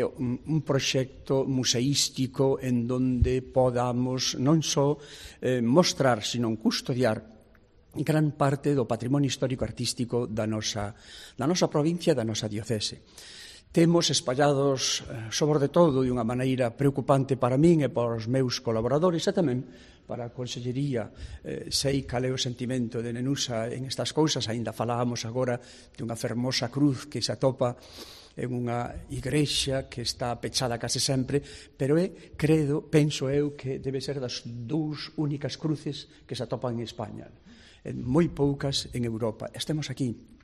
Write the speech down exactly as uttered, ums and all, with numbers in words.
un, un proxecto museístico en donde podamos non só eh, mostrar, sino custodiar gran parte do patrimonio histórico-artístico da nosa, da nosa provincia e da nosa diocese. Temos espallados, sobre de todo, de unha maneira preocupante para min e para os meus colaboradores e tamén para a Consellería. Eh, sei cal é o sentimento de Nenusa en estas cousas, aínda falábamos agora dunha fermosa cruz que se atopa en unha igrexa que está pechada case sempre, pero é, credo, penso eu, que debe ser das dúas únicas cruces que se atopan en España. En moi poucas en Europa. Estemos aquí.